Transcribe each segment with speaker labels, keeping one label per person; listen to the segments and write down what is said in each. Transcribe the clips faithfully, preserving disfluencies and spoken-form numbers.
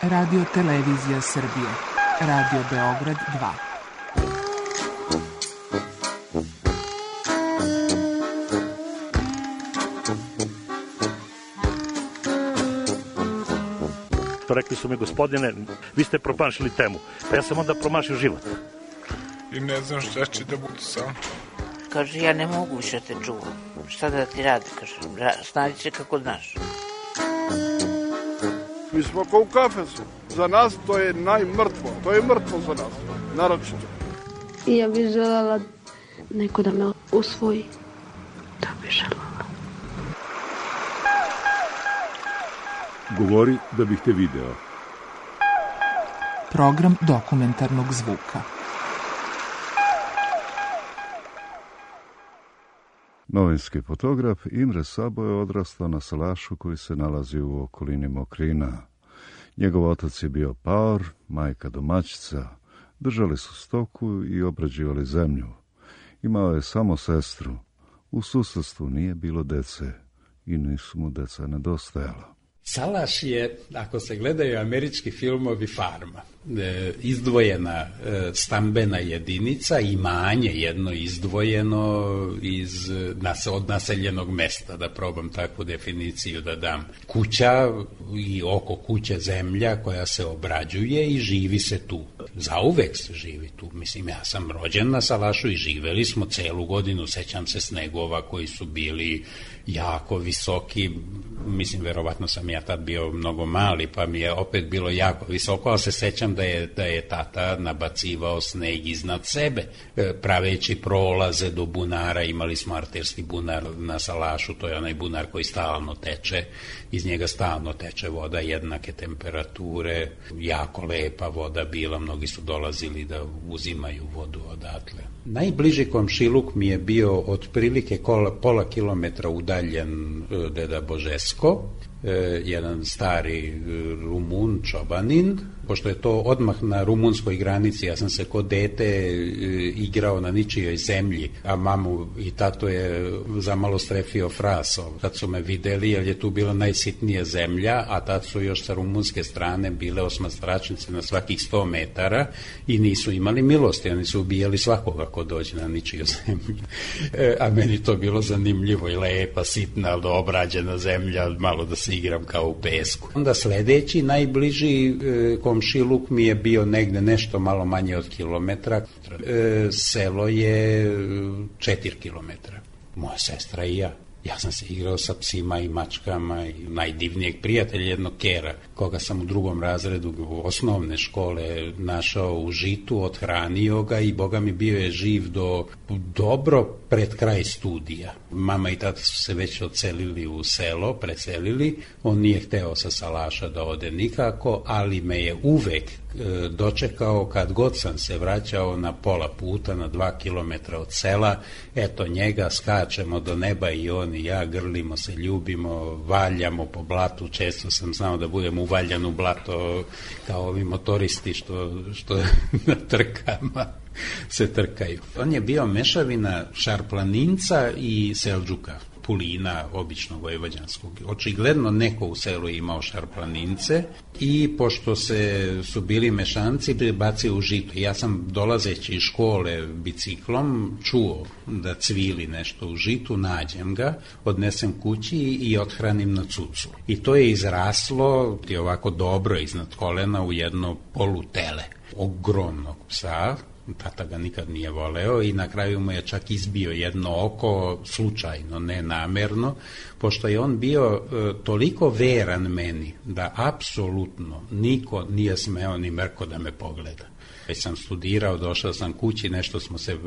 Speaker 1: Radio Televizija Srbije. Radio Beograd dva.
Speaker 2: Rekli su mi, gospodine, vi ste promašili temu. Pa ja sam onda promašio život.
Speaker 3: I ne znam šta će da bude sam.
Speaker 4: Kaže, ja ne mogu više te čuvam. Šta da ti radi, kaže, snađi se kako znaš.
Speaker 5: Mi smo kao u kafesu. Za nas to je najmrtvo. To je mrtvo za nas, naročito.
Speaker 6: I ja bih želela neko da me usvoji. To bih želela.
Speaker 7: Govori da bih te video.
Speaker 1: Program dokumentarnog zvuka.
Speaker 7: Novinski fotograf Imre Sabo je odrastao na salašu koji se nalazi u okolini Mokrina. Njegov otac je bio paor, majka domaćica. Držali su stoku i obrađivali zemlju. Imao je samo sestru. U susedstvu nije bilo dece i nisu mu deca nedostajala.
Speaker 8: Salaš je, ako se gledaju američki filmovi, farma. E, izdvojena e, stambena jedinica, imanje jedno izdvojeno iz, nas, od naseljenog mesta, da probam takvu definiciju da dam. Kuća i oko kuće zemlja koja se obrađuje i živi se tu. Zauvek se živi tu. Mislim, ja sam rođen na Salašu i živeli smo celu godinu, sećam se snegova koji su bili jako visoki, mislim, verovatno sam ja tad bio mnogo mali, pa mi je opet bilo jako visoko, ali se sećam da je, da je tata nabacivao sneg iznad sebe, praveći prolaze do bunara. Imali smo arterski bunar na Salašu, to je onaj bunar koji stalno teče, iz njega stalno teče voda jednake temperature, jako lepa voda bila, mnogi su dolazili da uzimaju vodu odatle. Najbliži komšiluk mi je bio otprilike pola kilometra udaljen deda Božesko, jedan stari Rumun, čobanin, pošto je to odmah na rumunskoj granici. Ja sam se kod dete igrao na ničijoj zemlji, a mamu i tato je zamalo strefio fraso kad su me videli, jer je tu bila najsitnija zemlja, a tad su još sa rumunske strane bile osmastračnice na svakih sto metara i nisu imali milosti, oni su ubijali svakoga ko dođe na ničiju zemlju. A meni to bilo zanimljivo i lepa, sitna, obrađena zemlja, malo da se igram kao u pesku. Onda sledeći, najbliži e, komšiluk mi je bio negde nešto malo manje od kilometra. E, selo je četiri kilometra. Moja sestra i ja. Ja sam se igrao sa psima i mačkama i najdivnijeg prijatelja, jednog kera, koga sam u drugom razredu osnovne škole našao u Žitu, othranio ga i boga mi bio je živ do dobro pred kraj studija. Mama i tata su se već odselili u selo, preselili, on nije hteo sa Salaša da ode nikako, ali me je uvek e, dočekao kad god sam se vraćao na pola puta, na dva kilometra od sela, eto njega, skačemo do neba i on i ja, grlimo se, ljubimo, valjamo po blatu, često sam znao da budem uvaljan u blato kao ovi motoristi što, što na trkama se trkaju. On je bio mešavina Šarplaninca i Seldžuka, Pulina, običnog vojvođanskog. Očigledno neko u selu je imao Šarplanince i pošto se su bili mešanci, prebacio u Žito. Ja sam dolazeći iz škole biciklom čuo da cvili nešto u Žitu, nađem ga, odnesem kući i othranim na cucu. I to je izraslo i ovako dobro iznad kolena u jedno polutele ogromnog psa. Tata ga nikad nije voleo i na kraju mu je čak izbio jedno oko, slučajno, ne namerno, pošto je on bio e, toliko veran meni da apsolutno niko nije smeo ni mrko da me pogleda. Već sam studirao, došao sam kući, nešto smo se e,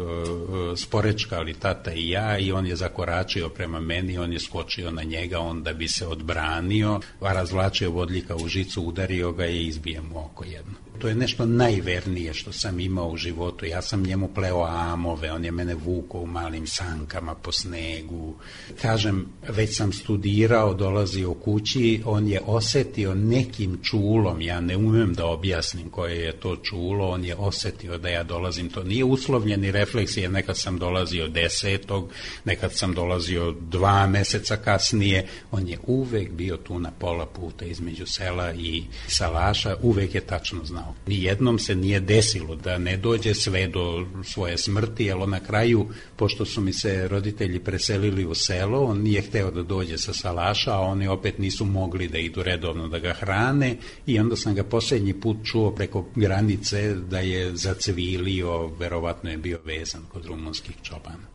Speaker 8: sporečkali tata i ja i on je zakoračio prema meni, on je skočio na njega, on da bi se odbranio, a razvlačio vodljika u žicu, udario ga i izbio mu oko jedno. To je nešto najvernije što sam imao u životu. Ja sam njemu pleo amove, on je mene vukao u malim sankama po snegu. Kažem, već sam studirao, dolazio kući, on je osetio nekim čulom, ja ne umem da objasnim koje je to čulo, on je osetio da ja dolazim. To nije uslovljeni refleks, jer nekad sam dolazio desetog, nekad sam dolazio dva meseca kasnije. On je uvek bio tu na pola puta između sela i salaša, uvek je tačno znao. Nijednom se nije desilo da ne dođe sve do svoje smrti, ali na kraju, pošto su mi se roditelji preselili u selo, on nije hteo da dođe sa salaša, a oni opet nisu mogli da idu redovno da ga hrane, i onda sam ga posljednji put čuo preko granice da je zacvilio, verovatno je bio vezan kod rumunskih čobana.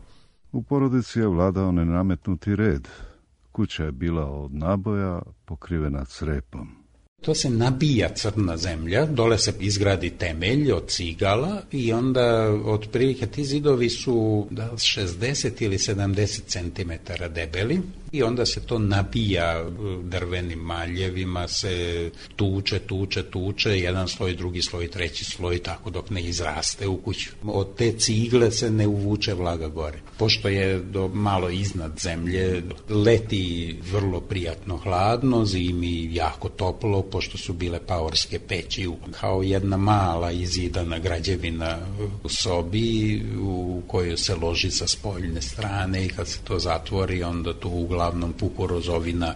Speaker 7: U porodici je vladao nenametnuti red. Kuća je bila od naboja pokrivena crepom.
Speaker 8: To se nabija crna zemlja, dole se izgradi temelj od cigala i onda otprilike ti zidovi su da šezdeset ili sedamdeset centimetara debeli i onda se to nabija drvenim maljevima, se tuče, tuče, tuče, jedan sloj, drugi sloj, treći sloj, tako dok ne izraste u kuću. Od te cigle se ne uvuče vlaga gore. Pošto je do malo iznad zemlje, leti vrlo prijatno hladno, zimi jako toplo, pošto su bile paorske peći, kao jedna mala izidana građevina u sobi u kojoj se loži sa spoljne strane i kad se to zatvori, onda tu uglavnom pukorozovina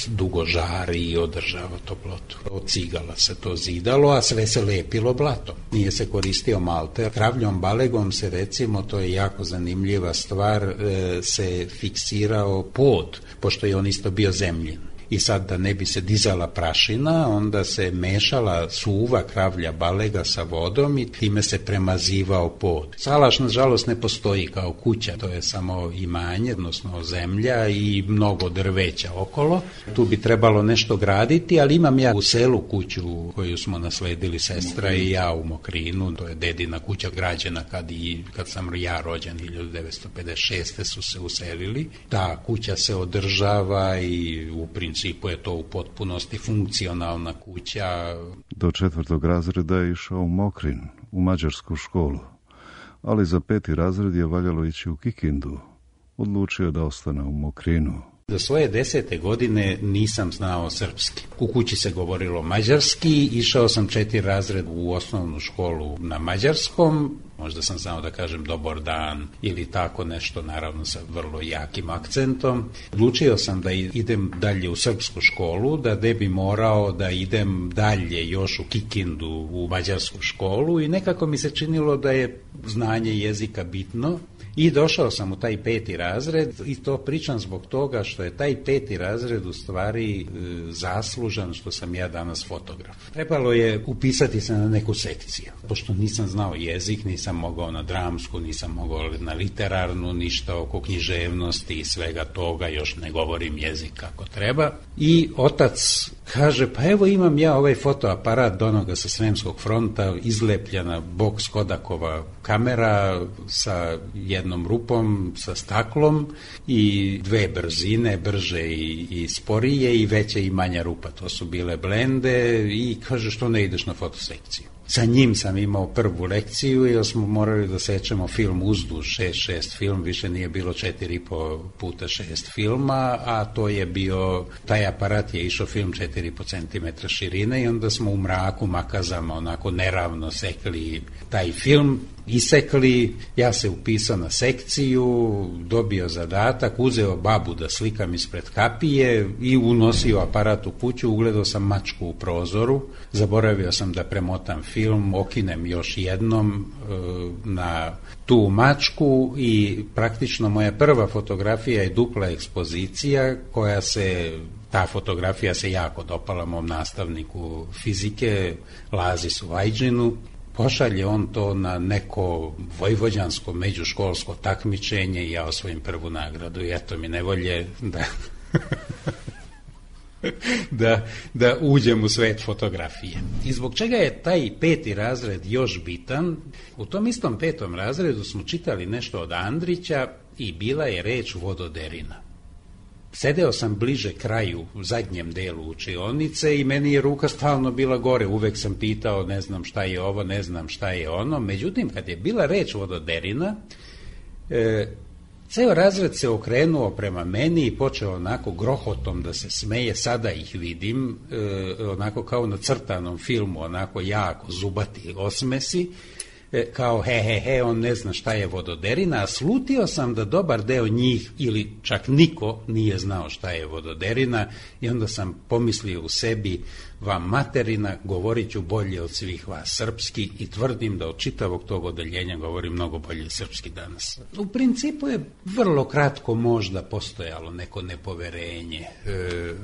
Speaker 8: dugo žari i održava toplotu. Od cigala se to zidalo, a sve se lepilo blatom. Nije se koristio malter. Kravljom balegom se, recimo, to je jako zanimljiva stvar, se fiksirao pod, pošto je on isto bio zemljin. I sad, da ne bi se dizala prašina, onda se mešala suva kravlja balega sa vodom i time se premazivao pod. Salaš, nažalost, ne postoji kao kuća, to je samo imanje, odnosno zemlja i mnogo drveća okolo. Tu bi trebalo nešto graditi, ali imam ja u selu kuću koju smo nasledili sestra i ja u Mokrinu, to je dedina kuća građena kad, i, kad sam ja rođen, hiljadu devetsto pedeset šeste su se uselili. Ta kuća se održava i u principu je to u potpunosti funkcionalna kuća.
Speaker 7: Do četvrtog razreda je išao u Mokrin, u mađarsku školu, ali za peti razred je valjalo ići u Kikindu. Odlučio da ostane u Mokrinu.
Speaker 8: Do svoje desete godine nisam znao srpski. U kući se govorilo mađarski, išao sam četiri razred u osnovnu školu na mađarskom, možda sam znao da kažem dobar dan ili tako nešto, naravno sa vrlo jakim akcentom. Odlučio sam da idem dalje u srpsku školu, da ne bi morao da idem dalje još u Kikindu u mađarsku školu i nekako mi se činilo da je znanje jezika bitno. I došao sam u taj peti razred i to pričam zbog toga što je taj peti razred u stvari e, zaslužan što sam ja danas fotograf. Trebalo je upisati se na neku sekciju. Pošto nisam znao jezik, nisam mogao na dramsku, nisam mogao na literarnu, ništa oko književnosti i svega toga, još ne govorim jezik kako treba. I otac kaže, pa evo imam ja ovaj fotoaparat do onoga sa Sremskog fronta, izlepljena boks Kodakova kamera sa jednom rupom, sa staklom i dve brzine, brže i, i sporije i veće i manja rupa. To su bile blende i kaže, što ne ideš na fotosekciju? Sa njim sam imao prvu lekciju jer smo morali da sečemo film uzduž, šest šest film, više nije bilo četiri po puta šest filma, a to je bio, taj aparat je išao film četiri po centimetra širine i onda smo u mraku makazama onako neravno sekli taj film, isekli, ja se upisao na sekciju, dobio zadatak, uzeo babu da slikam ispred kapije i unosio aparat u kuću, ugledao sam mačku u prozoru, zaboravio sam da premotam film, okinem još jednom e, na tu mačku i praktično moja prva fotografija je dupla ekspozicija koja se, ta fotografija se jako dopala mom nastavniku fizike, Lazi Suvajđinu. Pošalje on to na neko vojvođansko međuškolsko takmičenje i ja osvojim prvu nagradu i eto mi nevolje da, da, da uđem u svet fotografije. I zbog čega je taj peti razred još bitan? U tom istom petom razredu smo čitali nešto od Andrića i bila je reč vododerina. sedeo sam bliže kraju, u zadnjem delu učionice i meni je ruka stalno bila gore, uvek sam pitao ne znam šta je ovo, ne znam šta je ono, međutim kad je bila reč vododerina, e, ceo razred se okrenuo prema meni i počeo onako grohotom da se smeje, sada ih vidim, e, onako kao na crtanom filmu, onako jako zubati osmesi, kao he he he, on ne zna šta je vododerina, a slutio sam da dobar deo njih ili čak niko nije znao šta je vododerina i onda sam pomislio u sebi, vam materina, govorit ću bolje od svih vas srpski i tvrdim da od čitavog tog odeljenja govorim mnogo bolje srpski danas. U principu je vrlo kratko možda postojalo neko nepoverenje e,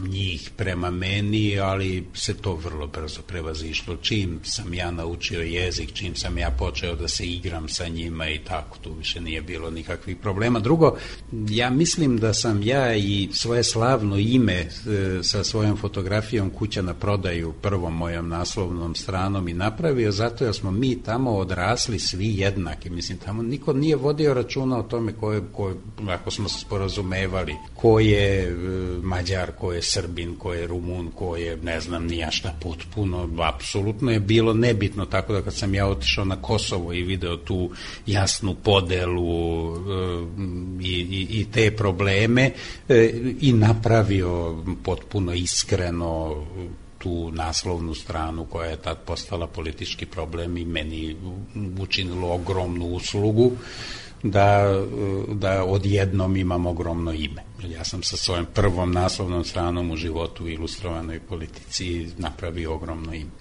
Speaker 8: njih prema meni, ali se to vrlo brzo prevazišlo. Čim sam ja naučio jezik, čim sam ja počeo da se igram sa njima i tako, tu više nije bilo nikakvih problema. Drugo, ja mislim da sam ja i svoje slavno ime e, sa svojom fotografijom Kuća na prodaju prvom mojom naslovnom stranom i napravio, zato jer smo mi tamo odrasli svi jednaki. Mislim, tamo niko nije vodio računa o tome ko je, ko, ako smo se sporazumevali, ko je e, Mađar, ko je Srbin, ko je Rumun, ko je ne znam nija šta, potpuno, apsolutno je bilo nebitno, tako da kad sam ja otišao na Kosovo i video tu jasnu podelu e, i, i, i te probleme e, i napravio potpuno iskreno tu naslovnu stranu koja je tad postala politički problem i meni učinilo ogromnu uslugu da, da odjednom imam ogromno ime. Ja sam sa svojom prvom naslovnom stranom u životu u Ilustrovanoj politici napravio ogromno ime.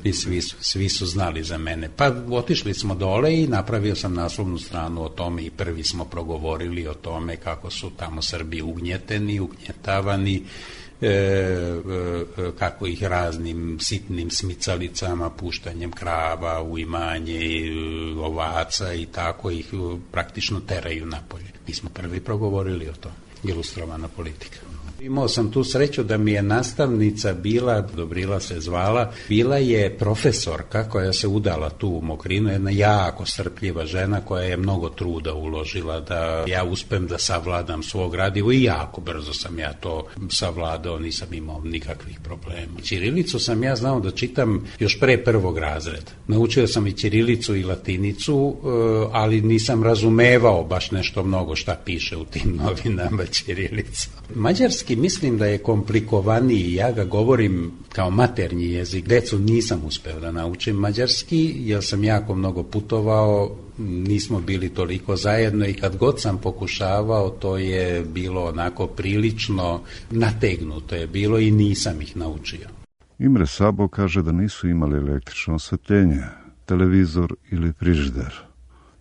Speaker 8: I svi su, svi su znali za mene. Pa otišli smo dole i napravio sam naslovnu stranu o tome i prvi smo progovorili o tome kako su tamo Srbi ugnjeteni, ugnjetavani, E, e, kako ih raznim sitnim smicalicama, puštanjem krava u imanje, ovaca i tako ih praktično teraju napolje. Mi smo prvi progovorili o tome. Ilustrovana politika. Imao sam tu sreću da mi je nastavnica bila, Dobrila se zvala, bila je profesorka koja se udala tu u Mokrinu, jedna jako strpljiva žena koja je mnogo truda uložila da ja uspem da savladam svog gradivo i jako brzo sam ja to savladao, nisam imao nikakvih problema. Ćirilicu sam ja znao da čitam još pre prvog razreda. Naučio sam i ćirilicu i latinicu, ali nisam razumevao baš nešto mnogo šta piše u tim novinama ćirilica. Mađarski mislim da je komplikovaniji, ja ga govorim kao maternji jezik. Decu nisam uspeo da naučim mađarski, jer sam jako mnogo putovao, nismo bili toliko zajedno i kad god sam pokušavao, to je bilo onako prilično nategnuto je bilo i nisam ih naučio.
Speaker 7: Imre Sabo kaže da nisu imali električno osvetljenje, televizor ili frižider.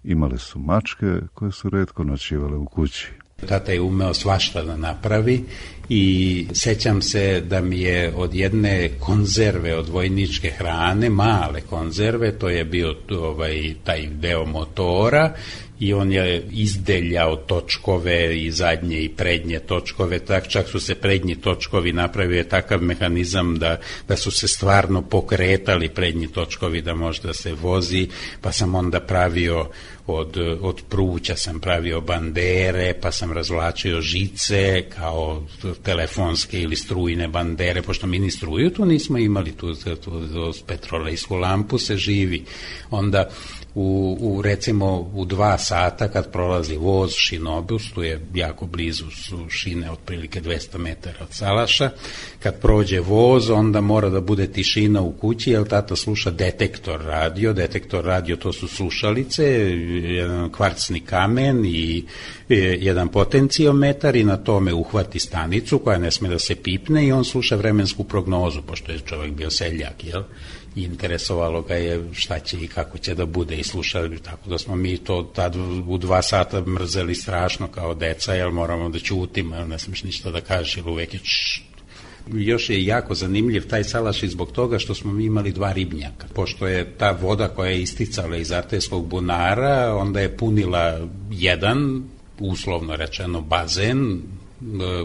Speaker 7: Imale su mačke koje su retko noćivale u kući.
Speaker 8: Tata je umeo svašta da napravi i sećam se da mi je od jedne konzerve od vojničke hrane, male konzerve, to je bio ovaj, taj deo motora i on je izdeljao točkove i zadnje i prednje točkove, tak čak su se prednji točkovi napravio takav mehanizam da, da su se stvarno pokretali prednji točkovi da može da se vozi, pa sam onda pravio od, od pruća sam pravio bandere, pa sam razvlačio žice kao telefonske ili strujne bandere, pošto mi ni struju tu nismo imali, tu, tu, tu petrolejsku lampu se živi. Onda U, u recimo u dva sata kad prolazi voz šinobus, tu je jako blizu su šine otprilike dvesta metara od salaša, kad prođe voz onda mora da bude tišina u kući jer tata sluša detektor radio, detektor radio to su slušalice, jedan kvarcni kamen i jedan potenciometar i na tome uhvati stanicu koja ne sme da se pipne i on sluša vremensku prognozu, pošto je čovjek bio seljak, jel? I interesovalo ga je šta će i kako će da bude i slušali, tako da smo mi to tad u dva sata mrzeli strašno kao deca, jer moramo da ćutimo, jer ne smiješ ništa da kažeš, jer uvek je čšt. Još je jako zanimljiv taj salaš i zbog toga što smo mi imali dva ribnjaka. Pošto je ta voda koja je isticala iz Artejskog bunara, onda je punila jedan, uslovno rečeno, bazen,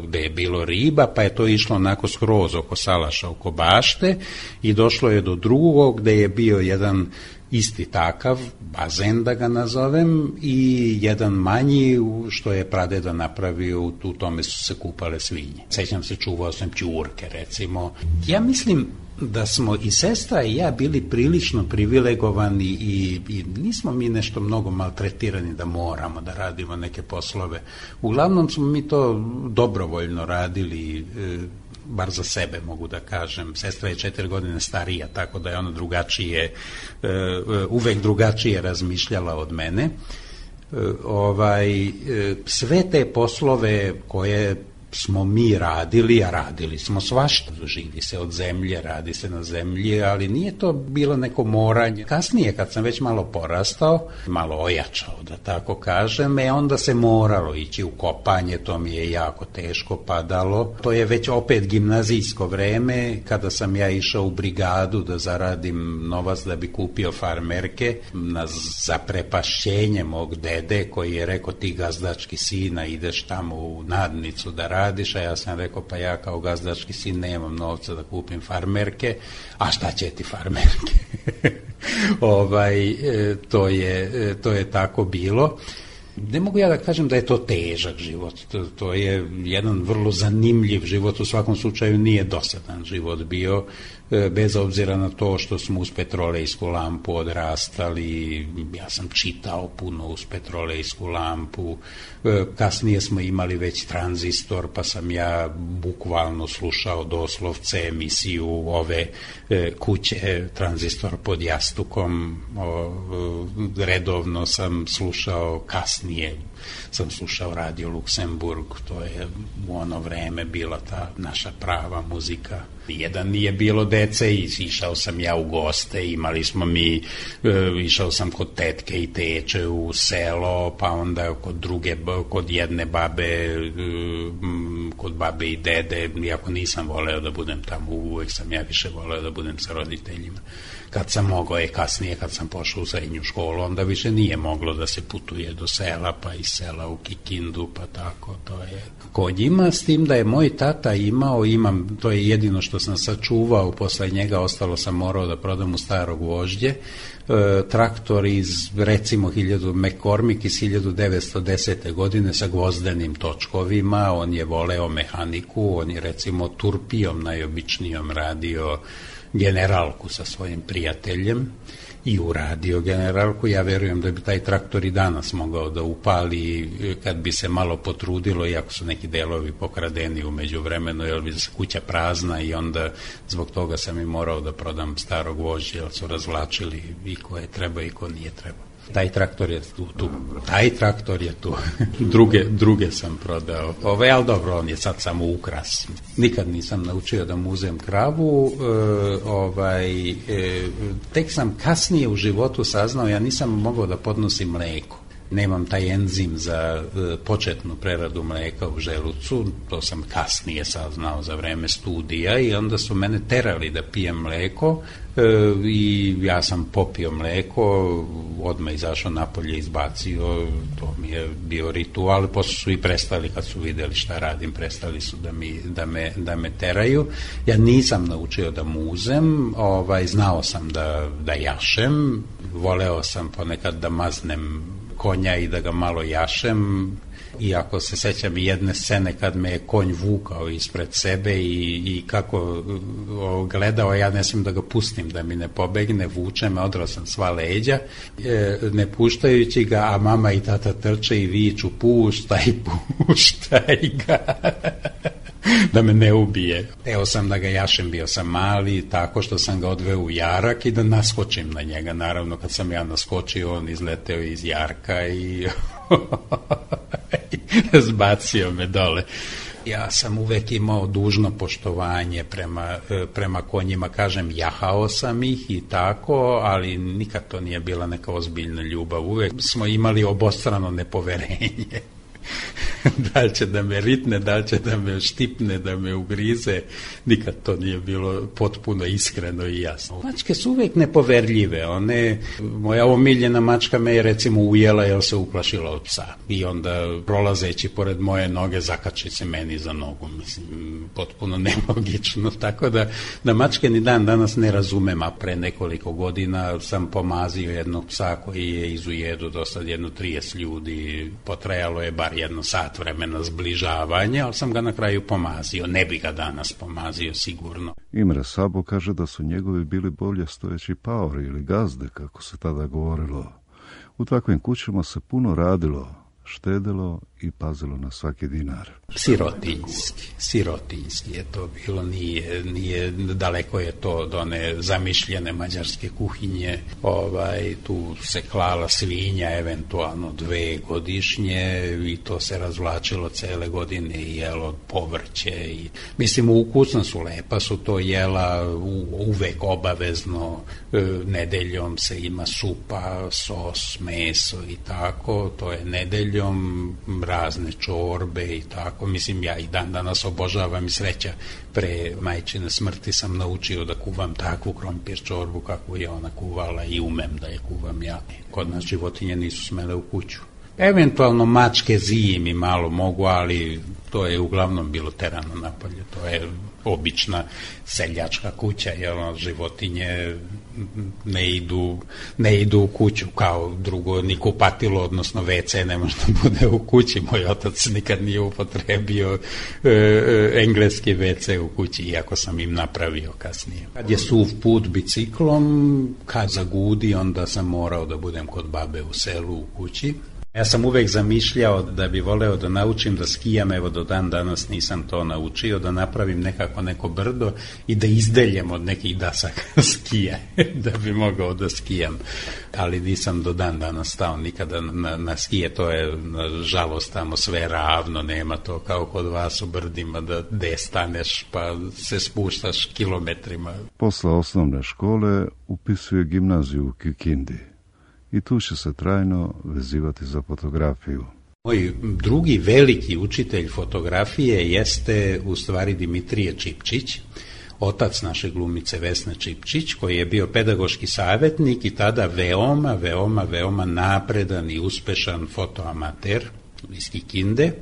Speaker 8: gde je bilo riba, pa je to išlo onako skroz oko salaša, oko bašte i došlo je do drugog gde je bio jedan isti takav, bazen da ga nazovem, i jedan manji što je pradeda napravio, u tome su se kupale svinje. Sećam se, čuvao sam ćurke recimo. Ja mislim da smo i sestra i ja bili prilično privilegovani i, i nismo mi nešto mnogo maltretirani da moramo da radimo neke poslove. Uglavnom smo mi to dobrovoljno radili, e, bar za sebe mogu da kažem. Sestra je četiri godine starija, tako da je ona drugačije, e, uvek drugačije razmišljala od mene. E, ovaj, e, sve te poslove koje smo mi radili, a radili smo svašta. Živi se od zemlje, radi se na zemlji, ali nije to bilo neko moranje. Kasnije, kad sam već malo porastao, malo ojačao, da tako kažem, e onda se moralo ići u kopanje, to mi je jako teško padalo. To je već opet gimnazijsko vreme, kada sam ja išao u brigadu da zaradim novac da bi kupio farmerke, na zaprepašćenje mog dede, koji je rekao, ti gazdački sina, ideš tamo u nadnicu da radiš, a ja sam rekao, pa ja kao gazdački sin nemam novca da kupim farmerke, a šta će ti farmerke? ovaj, to je, to je tako bilo. Ne mogu ja da kažem da je to težak život, to, to je jedan vrlo zanimljiv život, u svakom slučaju nije dosadan život bio, bez obzira na to što smo uz petrolejsku lampu odrastali. Ja sam čitao puno uz petrolejsku lampu, kasnije smo imali već tranzistor, pa sam ja bukvalno slušao doslovce emisiju ove kuće Tranzistor pod jastukom, redovno sam slušao, kasnije sam slušao Radio Luksemburg, to je u ono vreme bila ta naša prava muzika. Jedan nije bilo dece i išao sam ja u goste, imali smo mi, išao sam kod tetke i teče u selo, pa onda kod druge, kod jedne babe, kod babe i dede, iako nisam voleo da budem tamo, uvek sam ja više voleo da budem sa roditeljima. Kad sam mogao, je kasnije kad sam pošao u srednju školu, onda više nije moglo da se putuje do sela, pa iz sela u Kikindu, pa tako, to je kod njima, s tim da je moj tata imao, imam, to je jedino što sam sačuvao, posle njega ostalo sam morao da prodam u Staro Gvožđe, e, traktor iz, recimo, hiljadu McCormick iz hiljadu devetsto desete. godine sa gvozdenim točkovima, on je voleo mehaniku, on je recimo turpijom najobičnijom radio generalku sa svojim prijateljem i uradio generalku. Ja verujem da bi taj traktor i danas mogao da upali kad bi se malo potrudilo, iako su neki delovi pokradeni u međuvremenu, jer bi se kuća prazna i onda zbog toga sam i morao da prodam Staro Gvožđe, jer su razvlačili i ko je treba i ko nije treba. Taj traktor je tu, tu. Taj traktor je tu. druge, druge sam prodao. Ove, ali dobro, on je sad samo ukras. Nikad nisam naučio da muzem kravu. E, ovaj, e, tek sam kasnije u životu saznao, ja nisam mogao da podnosim mleko. Nemam taj enzim za e, početnu preradu mleka u želucu, to sam kasnije saznao za vreme studija i onda su mene terali da pijem mleko e, i ja sam popio mleko, odmah izašao napolje, izbacio, to mi je bio ritual, posle su i prestali kad su videli šta radim, prestali su da, mi, da, me, da me teraju. Ja nisam naučio da muzem, ovaj, znao sam da, da jašem, voleo sam ponekad da maznem konja i da ga malo jašem, iako se sećam i jedne scene kad me je konj vukao ispred sebe i, i kako o, gledao, ja ne smijem da ga pustim da mi ne pobegne, vuče me, odrao sam sva leđa, e, ne puštajući ga, a mama i tata trče i viču, puštaj, puštaj ga. Da me ne ubije. Teo sam da ga jašem, bio sam mali, tako što sam ga odveo u jarak i da naskočim na njega. Naravno, kad sam ja naskočio, on izleteo iz jarka i zbacio me dole. Ja sam uvek imao dužno poštovanje prema, prema konjima, kažem, jahao sam ih i tako, ali nikad to nije bila neka ozbiljna ljubav. Uvek smo imali obostrano nepoverenje. da li će da me ritne, da li će da me štipne, da me ugrize, nikad to nije bilo potpuno iskreno i jasno. Mačke su uvijek nepoverljive, one, moja omiljena mačka me je recimo ujela jer se uplašila od psa i onda prolazeći pored moje noge zakači se meni za nogu, mislim, potpuno nelogično, tako da, da mačke ni dan danas ne razumem, a pre nekoliko godina sam pomazio jednog psa koji je iz ujedu do sad jedno trideset ljudi, potrajalo je bar jedno sat vremena zbližavanja, ali sam ga na kraju pomazio, ne bi ga danas pomazio sigurno.
Speaker 7: Imre Sabo kaže da su njegovi bili bolje stojeći paori ili gazde, kako se tada govorilo. U takvim kućama se puno radilo, štedilo i pazilo na svaki dinar.
Speaker 8: Sirotinjski, sirotinjski je to bilo, nije, nije daleko je to od one zamišljene mađarske kuhinje, ovaj, tu se klala svinja, eventualno dve godišnje i to se razvlačilo cele godine i jelo povrće i, mislim, ukusna su, lepa su to jela, u, uvek obavezno, e, nedeljom se ima supa, sos, meso i tako, to je nedeljom, razne čorbe i tako, mislim, ja i dan danas obožavam i sreća, pre majčine smrti sam naučio da kuvam takvu krompir čorbu kakvu je ona kuvala i umem da je kuvam ja. Kod nas životinje nisu smele u kuću. Eventualno mačke zimi malo mogu, ali to je uglavnom bilo terano napolje, to je obična seljačka kuća, jer životinje ne idu, ne idu u kuću kao drugo, ni kupatilo, odnosno ve ce ne može da bude u kući. Moj otac nikad nije upotrebio e, e, engleski ve ce u kući, iako sam im napravio kasnije. Kad je suv put biciklom, kad zagudi, onda sam morao da budem kod babe u selu u kući. Ja sam uvek zamišljao da bi voleo da naučim da skijam, evo do dan danas nisam to naučio, da napravim nekako neko brdo i da izdeljem od nekih dasaka skija, da bi mogao da skijam. Ali nisam do dan danas stao nikada na, na skije, to je nažalost tamo sve ravno, nema to kao kod vas u brdima da de staneš pa se spuštaš kilometrima.
Speaker 7: Posle osnovne škole upisuje gimnaziju u Kikindi. I tu će se trajno vezivati za fotografiju.
Speaker 8: Moj drugi veliki učitelj fotografije jeste u stvari Dimitrije Čipčić, otac naše glumice Vesne Čipčić, koji je bio pedagoški savjetnik i tada veoma, veoma, veoma napredan i uspešan fotoamater iz Kikinde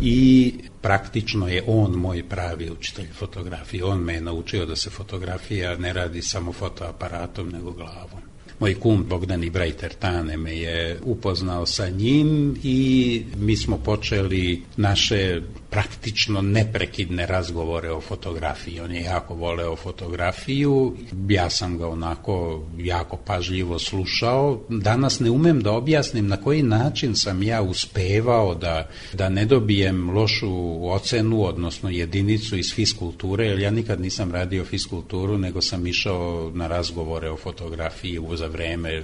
Speaker 8: i praktično je on moj pravi učitelj fotografije. On me je naučio da se fotografija ne radi samo fotoaparatom, nego glavom. Moj kum Bogdan Ibraj Tertane me je upoznao sa njim i mi smo počeli naše praktično neprekidne razgovore o fotografiji. On je jako voleo fotografiju, ja sam ga onako jako pažljivo slušao. Danas ne umem da objasnim na koji način sam ja uspevao da, da ne dobijem lošu ocenu, odnosno jedinicu iz fiskulture, jer ja nikad nisam radio fiskulturu, nego sam išao na razgovore o fotografiji za vreme e,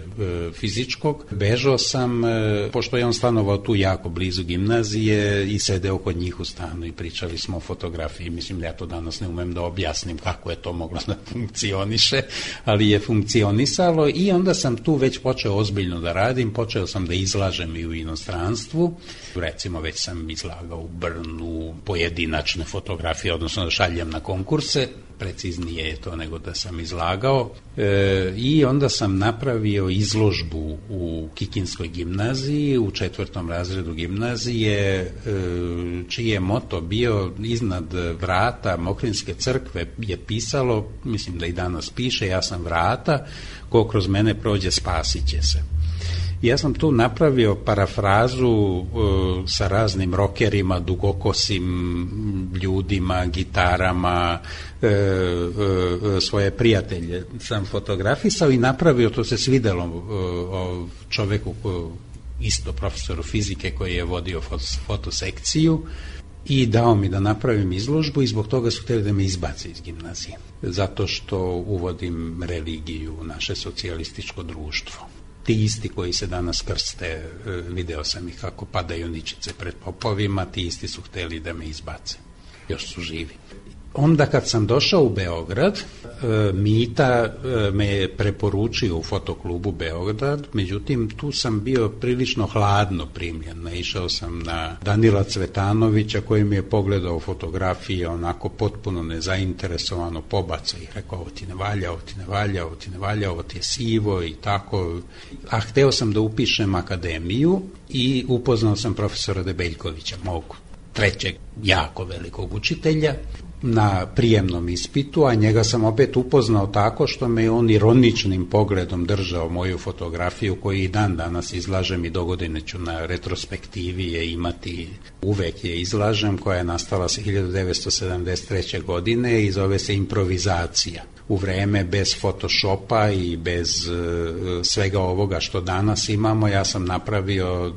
Speaker 8: fizičkog. Bežao sam, e, pošto je on stanovao tu jako blizu gimnazije i sedeo kod njih u stanu i pričali smo o fotografiji. Mislim da ja to danas ne umem da objasnim kako je to moglo da funkcioniše, ali je funkcionisalo i onda sam tu već počeo ozbiljno da radim, počeo sam da izlažem i u inostranstvu. Recimo već sam izlagao u Brnu pojedinačne fotografije, odnosno da šaljem na konkurse, preciznije je to nego da sam izlagao. E, I onda sam napravio izložbu u Kikinskoj gimnaziji, u četvrtom razredu gimnazije, e, čiji je moto bio iznad vrata Mokrinske crkve je pisalo, mislim da i danas piše, ja sam vrata, ko kroz mene prođe spasit će se. Ja sam tu napravio parafrazu uh, sa raznim rokerima, dugokosim ljudima, gitarama, uh, uh, svoje prijatelje sam fotografisao i napravio, to se svidelo uh, čoveku, uh, isto profesoru fizike koji je vodio fotos, fotosekciju i dao mi da napravim izložbu i zbog toga su htjeli da me izbace iz gimnazije. Zato što uvodim religiju u naše socijalističko društvo. Ti isti koji se danas krste, video sam ih kako padaju ničice pred popovima, ti isti su hteli da me izbace. još su živi. Onda kad sam došao u Beograd, Mita me je preporučio u fotoklubu Beograd, međutim tu sam bio prilično hladno primljen. Naišao sam na Danila Cvetanovića koji mi je pogledao fotografije onako potpuno nezainteresovano, pobacao ih, rekao ovo ti ne valja, ovo ti ne valja, ovo ti ne valja, ovo ti je sivo i tako. A hteo sam da upišem akademiju i upoznao sam profesora Debeljkovića, mog trećeg jako velikog učitelja, na prijemnom ispitu, a njega sam opet upoznao tako što me on ironičnim pogledom držao moju fotografiju koju i dan danas izlažem i dogodine ću na retrospektivi je imati, uvek je izlažem, koja je nastala hiljadu devetsto sedamdeset treće. godine i zove se Improvizacija. U vreme bez Photoshopa i bez uh, svega ovoga što danas imamo, ja sam napravio uh,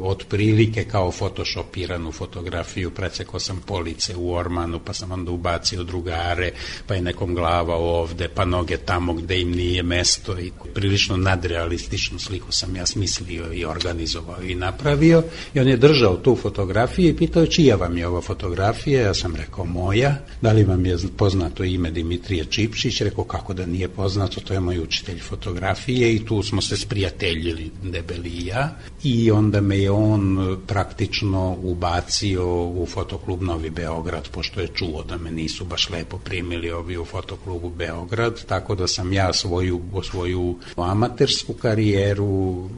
Speaker 8: otprilike kao photoshopiranu fotografiju, precekao sam police u ormanu, pa sam onda ubacio drugare, pa je nekom glava ovde, pa noge tamo gde im nije mesto i prilično nadrealističnu sliku sam ja smislio i organizovao i napravio i on je držao tu fotografiju i pitao čija vam je ova fotografija, ja sam rekao moja, da li vam je poznato ime Dimitrije Čipšić, rekao kako da nije poznato, to je moj učitelj fotografije i tu smo se sprijateljili Debeli i ja i onda me je on praktično ubacio u fotoklub Novi Beograd, pošto je čuo da me nisu baš lepo primili ovi u fotoklubu Beograd, tako da sam ja svoju, svoju amatersku karijeru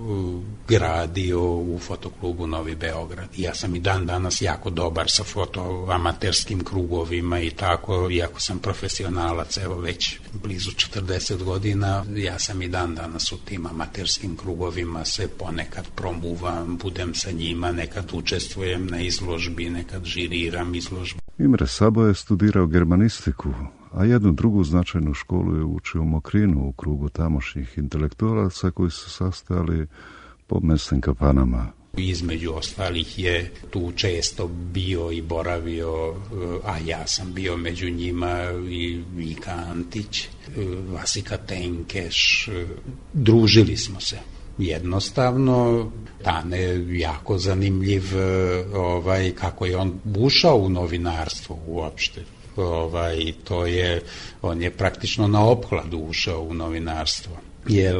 Speaker 8: gradio u fotoklubu Novi Beograd. I ja sam i dan danas jako dobar sa fotoamaterskim krugovima i tako, iako sam profesionalac, evo već blizu četrdeset godina, ja sam i dan danas u tim amaterskim krugovima, se ponekad promuvam, budem sa njima, nekad učestvujem na izložbi, nekad žiriram izložbu.
Speaker 7: Imre Sabo je studirao germanistiku, a jednu drugu značajnu školu je učio u Mokrinu u krugu tamošnjih intelektualaca koji su sastajali po mesnim kafanama.
Speaker 8: Između ostalih je tu često bio i boravio, a ja sam bio među njima i Vika Antić, Vasika Tenkeš, družili smo se. Jednostavno, Tane jako zanimljiv, ovaj, kako je on ušao u novinarstvo uopšte. Ovaj, to je, on je praktično na opkladu ušao u novinarstvo. Jer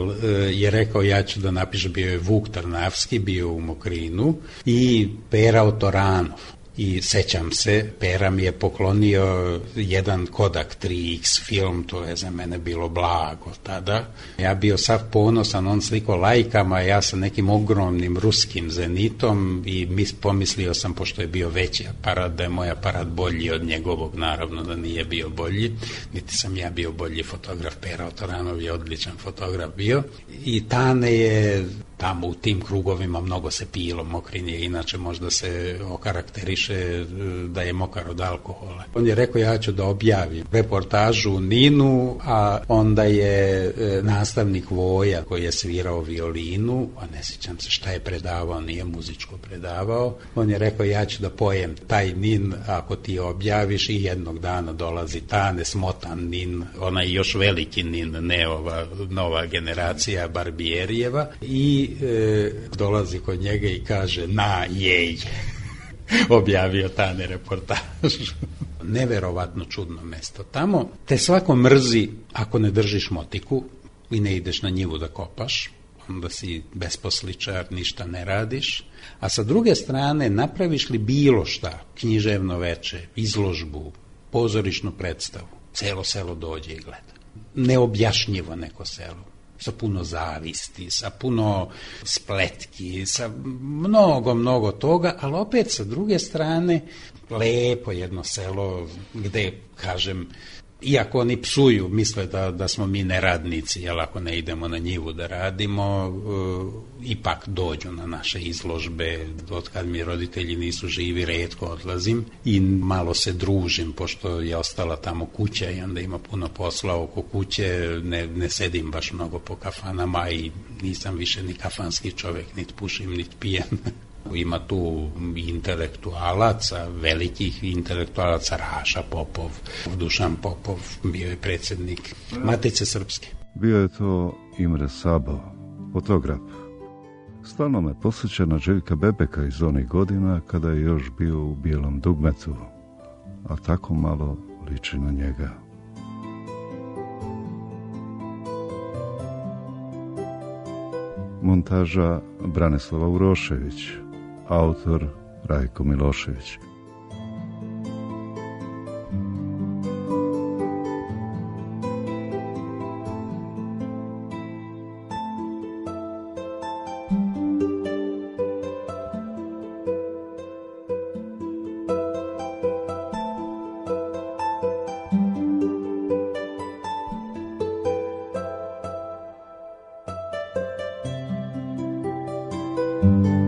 Speaker 8: je rekao ja ću da napišem, bio je Vuk Trnavski, bio u Mokrinu i Pera Otoranov. I sećam se, Pera mi je poklonio jedan Kodak tri iks film, to je za mene bilo blago tada. Ja bio sav ponosan, on sliko lajkama, ja sa nekim ogromnim ruskim zenitom i mis, pomislio sam, pošto je bio veći aparat, da je moj aparat bolji od njegovog, naravno da nije bio bolji, niti sam ja bio bolji fotograf. Pera Otoranov je odličan fotograf bio i Tane je tamo u tim krugovima mnogo se pilo, Mokrin je inače možda se okarakteriše da je mokar od alkohola. On je rekao ja ću da objavim reportažu u Ninu, a onda je nastavnik Voja koji je svirao violinu, a ne sjećam se šta je predavao, nije muzičko predavao, on je rekao ja ću da pojem taj Nin ako ti objaviš i jednog dana dolazi Tane, smotan Nin, onaj još veliki Nin, ne ova nova generacija Barbijerijeva i E, dolazi kod njega i kaže na jej objavio Tane reportažu. Neverovatno čudno mesto. Tamo te svako mrzi ako ne držiš motiku i ne ideš na njivu da kopaš, onda si besposličar, ništa ne radiš, a sa druge strane napraviš li bilo šta, književno veče, izložbu, pozorišnu predstavu, celo selo dođe i gleda. Neobjašnjivo neko selo, sa puno zavisti, sa puno spletki, sa mnogo, mnogo toga, ali opet sa druge strane lepo jedno selo gde, kažem, iako oni psuju, misle da, da smo mi neradnici, jer ako ne idemo na njivu da radimo, uh, ipak dođu na naše izložbe. Od kad mi roditelji nisu živi, retko odlazim i malo se družim, pošto je ostala tamo kuća i onda ima puno posla oko kuće, ne, ne sedim baš mnogo po kafanama i nisam više ni kafanski čovek, niti pušim, niti pijem. Ima tu intelektualaca, velikih intelektualaca, Raša Popov, Dušan Popov, bio je predsjednik Matice Srpske.
Speaker 7: Bio je to Imre Sabo, fotograf. Stalno me posjeća na Željka Bebeka iz onih godina kada je još bio u Bijelom dugmetu. a tako malo liči na njega. Montaža Branislava Urošević, autor Rajko Milošević.
Speaker 9: Thank you.